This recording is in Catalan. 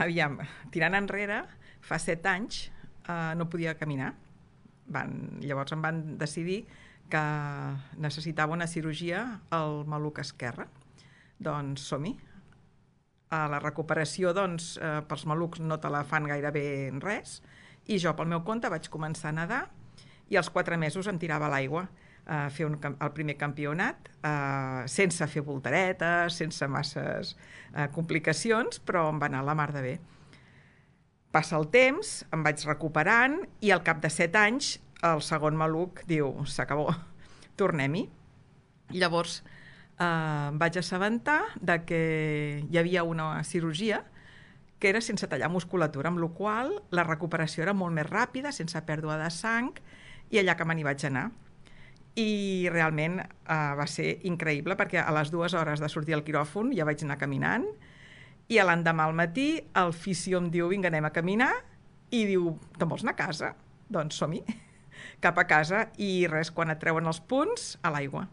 Aviam, tirant enrere, fa 7 anys no podia caminar. Llavors em van decidir que necessitava una cirurgia al maluc esquerre. Doncs som-hi. La recuperació, doncs, pels malucs no te la fan gairebé res, i jo pel meu compte vaig començar a nedar i als 4 mesos em tirava a l'aigua a fer el primer campionat, sense fer voltaretes, sense masses complicacions, però em va anar la mar de bé. Passa el temps, em vaig recuperant i al cap de 7 anys el segon maluc diu, s'acabó, tornem-hi. Llavors em vaig assabentar de que hi havia una cirurgia que era sense tallar musculatura, amb la qual la recuperació era molt més ràpida, sense pèrdua de sang, i allà que me n'hi vaig anar. I realment va ser increïble, perquè a les 2 hores de sortir al quiròfon ja vaig anar caminant, i l'endemà al matí el fisio em diu, vinga, anem a caminar, i diu, te'n vols anar a casa? Doncs som-hi, cap a casa, i res, quan et treuen els punts, a l'aigua.